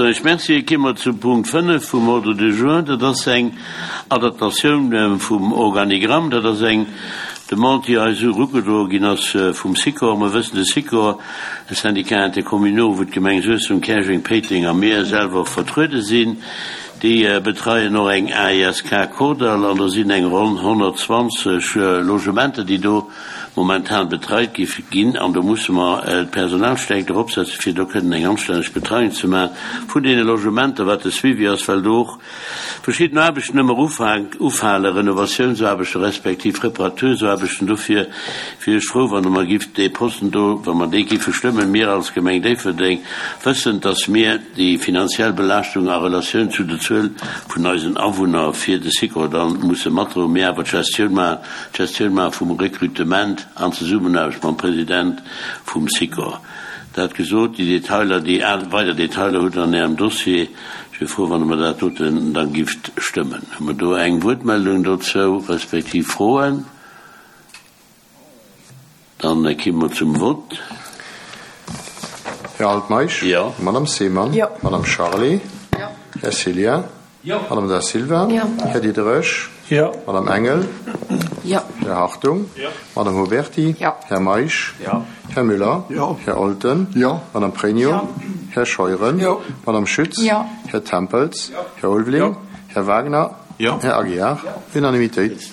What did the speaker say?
soen ech Merci. Gi mer zum Punkt 5 vum Ordre du jour. Dat ass eng Adaptatioun vum Organigramm. Dat ass eng Demande, déi eis erugedroe ginn ass vum Sikor. Mer wëssen, de Sikor, de Syndicat intercommunaux, wou d'Gemeng Suessem, Käerjeng, Péiteng a mir selwer vertruede sinn, déi betreien och eng AESK Kordall an do sinn eng ronn 120 Logementer, déi do momentan betreit gi ginn an do musse mer d'Personalstärkt eropsetzen, fir do kënnen eng anstänneg Betreiung ze maachen vun deene Logementer, wat de Suivi ass, well do och verschidden Aarbechten ëmmer ufalen, Renovatiounsaarbechten respektiv Reparatursaarbechten. Dofir wier ech frou, wann Der mer gift dee Posten do, wa mer dee giffe stëmmen, mir als Gemeng Déifferdeng, wëssend, dass mir déi finanziell Belaaschtung a Relatioun zu der Zuel vun eisen Awunner fir de Sikor dann musse matdroen, mir awer d'Gestioun maachen, d'Gestioun maache vum Rekrutement an Zesummenaarbecht mam President vum Sikor. Dat gesot, déi Detailer, déi weider Detailer hutt Der an Ärem Dossier. Ech wier frou, wann Der mer dat doten da gifft stëmmen. Hu mer do eng Wuertmeldung dozou, respektiv Froen? Dann kimme mer zum Vott. Här Altmeisch? Jo. Madame Seemann? Jo. Madame Charlé? Jo. Här Cillien? Jo. Madame Da Silva? Jo. Här Diderich? Jo. Madame Engel? Jo. Här Hartung? Jo. Madame Huberty? Jo. Här Meisch? Jo. Här Müller? Jo. Här Olten? Jo. Madame Pregno? Jo. Här Scheuren? Jo. Madame Schütz? Jo. Här Tempels? Jo. Här Ulveling? Jo. Här Wagner? Jo. Här Aguiar? Jo. Unanimitéit.